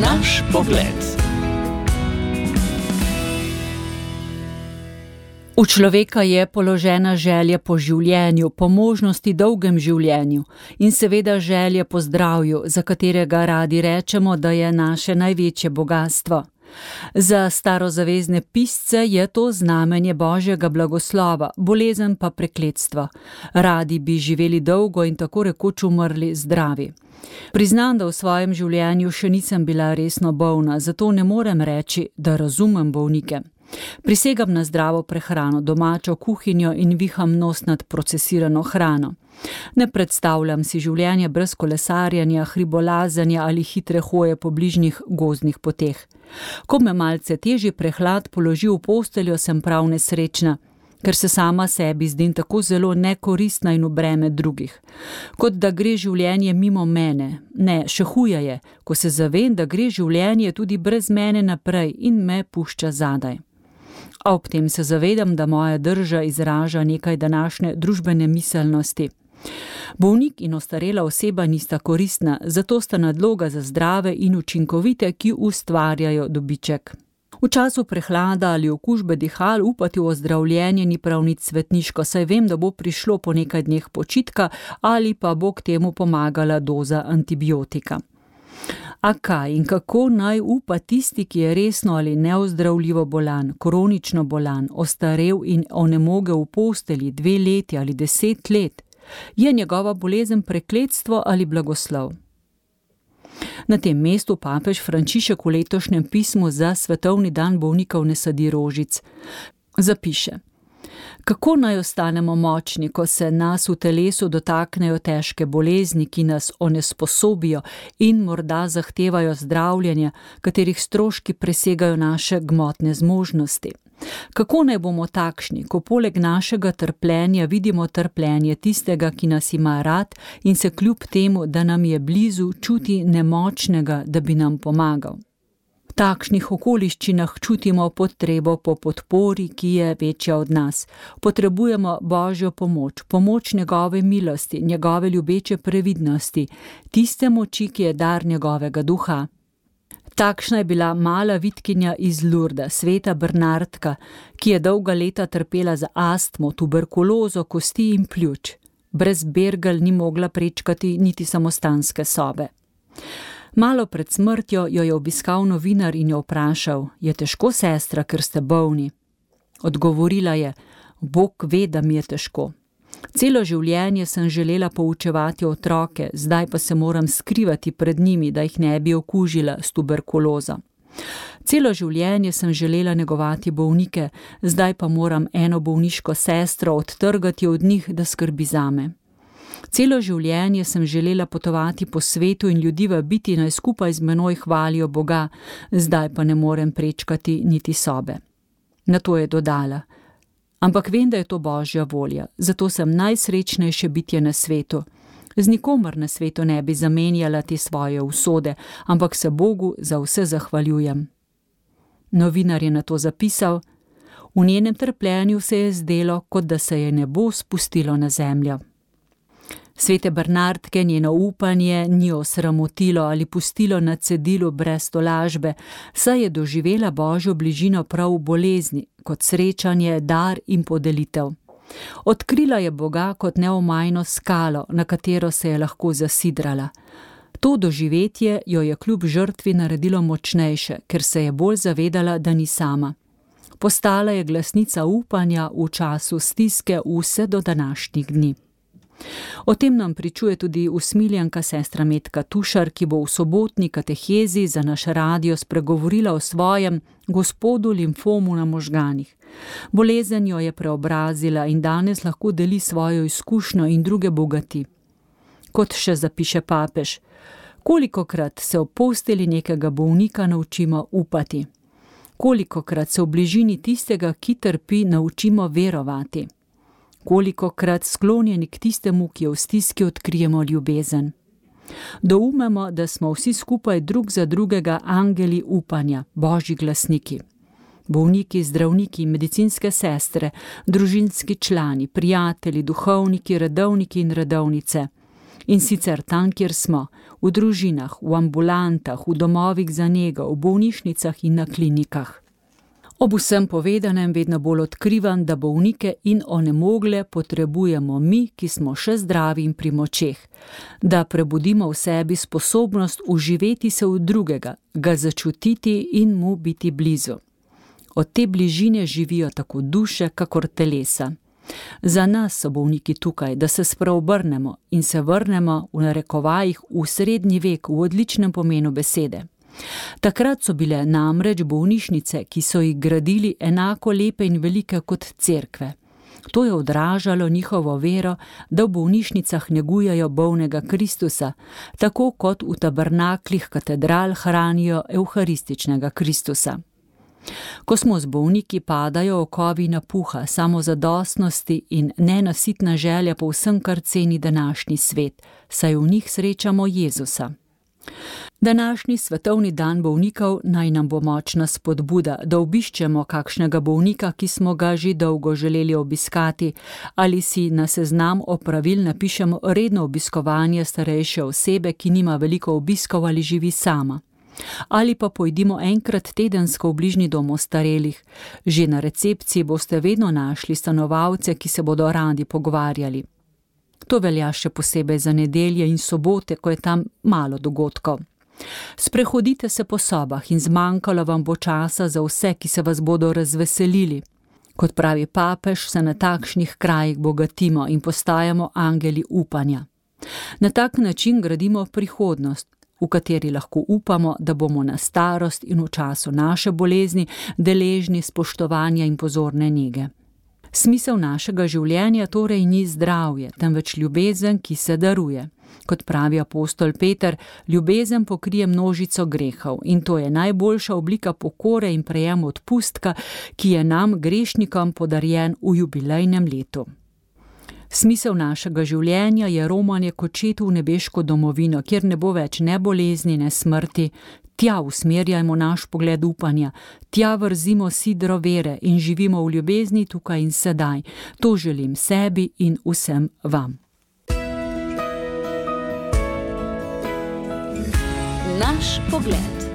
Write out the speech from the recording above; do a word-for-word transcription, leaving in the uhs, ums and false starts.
Naš pogled. V človeka je položena želja po življenju, po možnosti dolgem življenju in seveda želja po zdravju, za katerega radi rečemo, da je naše največje bogastvo. Za starozavezne pisce je to znamenje Božjega blagoslova, bolezen pa prekletstvo. Radi bi živeli dolgo in tako rekoč umrli zdravi. Priznam, da v svojem življenju še nisem bila resno bolna, zato ne morem reči, da razumem bolnike. Prisegam na zdravo prehrano, domačo kuhinjo in viham nos nad procesirano hrano. Ne predstavljam si življenje brez kolesarjenja, hribolazanja ali hitre hoje po bližnjih gozdnih poteh. Ko me malce težji prehlad položi v posteljo, sem prav nesrečna, ker se sama sebi zdim tako zelo nekoristna in v breme drugih. Kot da gre življenje mimo mene. Ne, še huje je, ko se zavem, da gre življenje tudi brez mene naprej in me pušča zadaj. A ob tem se zavedam, da moja drža izraža nekaj današnje družbene miselnosti. Bolnik in ostarela oseba nista koristna, zato sta nadloga za zdrave in učinkovite, ki ustvarjajo dobiček. V času prehlada ali okužbe dihal upati v ozdravljenje ni prav nič svetniško, saj vem, da bo prišlo po nekaj dneh počitka ali pa bo k temu pomagala doza antibiotika. A kaj in kako naj upa tisti, ki je resno ali neozdravljivo bolan, kronično bolan, ostarel in onemogel v posteli dve leti ali deset let? Je njegova bolezen prekletstvo ali blagoslov? Na tem mestu papež Frančišek v letošnjem pismu za svetovni dan bolnikov ne sadi rožic. Zapiše: Kako naj ostanemo močni, ko se nas v telesu dotaknejo težke bolezni, ki nas onesposobijo in morda zahtevajo zdravljenja, katerih stroški presegajo naše gmotne zmožnosti? Kako naj bomo takšni, ko poleg našega trpljenja vidimo trpljenje tistega, ki nas ima rad in se kljub temu, da nam je blizu, čuti nemočnega, da bi nam pomagal? V takšnih okoliščinah čutimo potrebo po podpori, ki je večja od nas. Potrebujemo Božjo pomoč, pomoč njegove milosti, njegove ljubeče previdnosti, tiste moči, ki je dar njegovega duha. Takšna je bila mala vitkinja iz Lurda, sveta Bernardka, ki je dolga leta trpela za astmo, tuberkulozo, kosti in pljuč. Brez bergel ni mogla prečkati niti samostanske sobe. Malo pred smrtjo jo je obiskal novinar in jo vprašal: Je težko, sestra, ker ste bolni? Odgovorila je: Bog ve, da mi je težko. Celo življenje sem želela poučevati otroke, zdaj pa se moram skrivati pred njimi, da jih ne bi okužila s tuberkulozo. Celo življenje sem želela negovati bolnike, zdaj pa moram eno bolniško sestro odtrgati od njih, da skrbi zame. Celo življenje sem želela potovati po svetu in ljudi vabiti, naj skupaj z menoj hvalijo Boga, zdaj pa ne morem prečkati niti sobe. Nato je dodala: Ampak vem, da je to Božja volja, zato sem najsrečnejše bitje na svetu. Z nikomer na svetu ne bi zamenjala te svoje usode, ampak se Bogu za vse zahvaljujem. Novinar je nato zapisal: V njenem trpljenju se je zdelo, kot da se je nebo spustilo na zemljo. Svete Bernardke njeno upanje ni osramotilo ali pustilo na cedilu brez tolažbe, saj je doživela Božjo bližino prav v bolezni, kot srečanje, dar in podelitev. Odkrila je Boga kot neomajno skalo, na katero se je lahko zasidrala. To doživetje jo je kljub žrtvi naredilo močnejše, ker se je bolj zavedala, da ni sama. Postala je glasnica upanja v času stiske vse do današnjih dni. O tem nam pričuje tudi usmiljenka sestra Metka Tušar, ki bo v sobotni katehezi za naš radio spregovorila o svojem gospodu limfomu na možganih. Bolezen jo je preobrazila in danes lahko deli svojo izkušnjo in druge bogati. Kot še zapiše papež: Kolikokrat se v posteli nekega bolnika naučimo upati? Kolikokrat se v bližini tistega, ki trpi, naučimo verovati? Kolikokrat sklonjeni k tistemu, ki je v stiski, odkrijemo ljubezen? Doumemo, da smo vsi skupaj drug za drugega angeli upanja, Božji glasniki. Bolniki, zdravniki, medicinske sestre, družinski člani, prijatelji, duhovniki, redovniki in redovnice. In sicer tam, kjer smo, v družinah, v ambulantah, v domovih za nego, v bolnišnicah in na klinikah. Ob vsem povedanem vedno bolj odkrivam, da bolnike in onemogle potrebujemo mi, ki smo še zdravi in pri močeh, da prebudimo v sebi sposobnost uživeti se v drugega, ga začutiti in mu biti blizu. Od te bližine živijo tako duše, kakor telesa. Za nas so bolniki tukaj, da se spreobrnemo in se vrnemo v narekovajih v srednji vek v odličnem pomenu besede. Takrat so bile namreč bolnišnice, ki so jih gradili, enako lepe in velike kot cerkve. To je odražalo njihovo vero, da v bolnišnicah negujejo bolnega Kristusa, tako kot v tabernaklih katedral hranijo evharističnega Kristusa. Ko smo z bolniki, padajo okovi napuha, samozadostnosti in nenasitna želja po vsem, kar ceni današnji svet, saj v njih srečamo Jezusa. Današnji svetovni dan bolnikov naj nam bo močna spodbuda, da obiščemo kakšnega bolnika, ki smo ga že dolgo želeli obiskati, ali si na seznam opravil napišemo redno obiskovanje starejše osebe, ki nima veliko obiskov ali živi sama. Ali pa pojdimo enkrat tedensko v bližnji dom ostarelih. Že na recepciji boste vedno našli stanovalce, ki se bodo radi pogovarjali. To velja še posebej za nedelje in sobote, ko je tam malo dogodkov. Sprehodite se po sobah in zmanjkalo vam bo časa za vse, ki se vas bodo razveselili. Kot pravi papež, se na takšnih krajih bogatimo in postajamo angeli upanja. Na tak način gradimo prihodnost, v kateri lahko upamo, da bomo na starost in v času naše bolezni deležni spoštovanja in pozorne nege. Smisel našega življenja torej ni zdravje, temveč ljubezen, ki se daruje. Kot pravi apostol Peter, ljubezen pokrije množico grehov in to je najboljša oblika pokore in prejem odpustka, ki je nam, grešnikom, podarjen v jubilejnem letu. Smisel našega življenja je romanje k očetu v nebeško domovino, kjer ne bo več ne bolezni, ne smrti. Tja usmerjajmo naš pogled upanja, tja vrzimo sidro vere in živimo v ljubezni tukaj in sedaj. To želim sebi in vsem vam. Naš pogled.